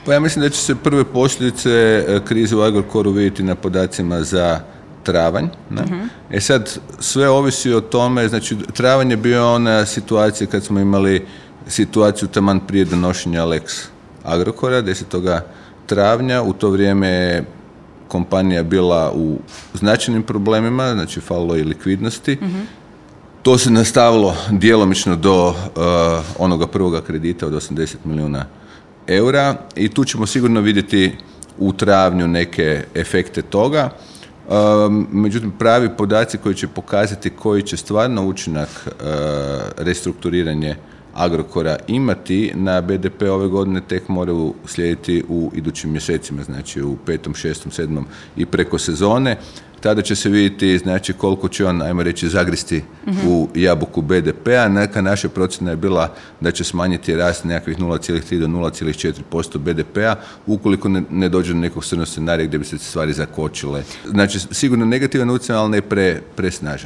Pa ja mislim da će se prve posljedice krize u Agrokoru vidjeti na podacima za travanj. E sad, sve ovisi o tome, znači travanj je bio ona situacija kad smo imali situaciju taman prije donošenja Lex Agrokora, 10. travnja, u to vrijeme je kompanija bila u značajnim problemima, znači falilo je likvidnosti. To se nastavilo djelomično do onoga prvoga kredita od 80 milijuna eura i tu ćemo sigurno vidjeti u travnju neke efekte toga. Međutim, pravi podaci koji će pokazati koji će stvarno učinak restrukturiranje Agrokora imati na BDP ove godine tek moraju slijediti u idućim mjesecima, znači u 5., 6., 7. i preko sezone. Tada će se vidjeti znači koliko će on, ajmo reći, zagristi u jabuku BDP-a. Neka naša procjena je bila da će smanjiti rast nekakvih 0,3 do 0,4% BDP-a ukoliko ne dođe do nekog crnog scenarija gdje bi se stvari zakočile. Znači, sigurno negativan utjecaj, ali ne presnažan.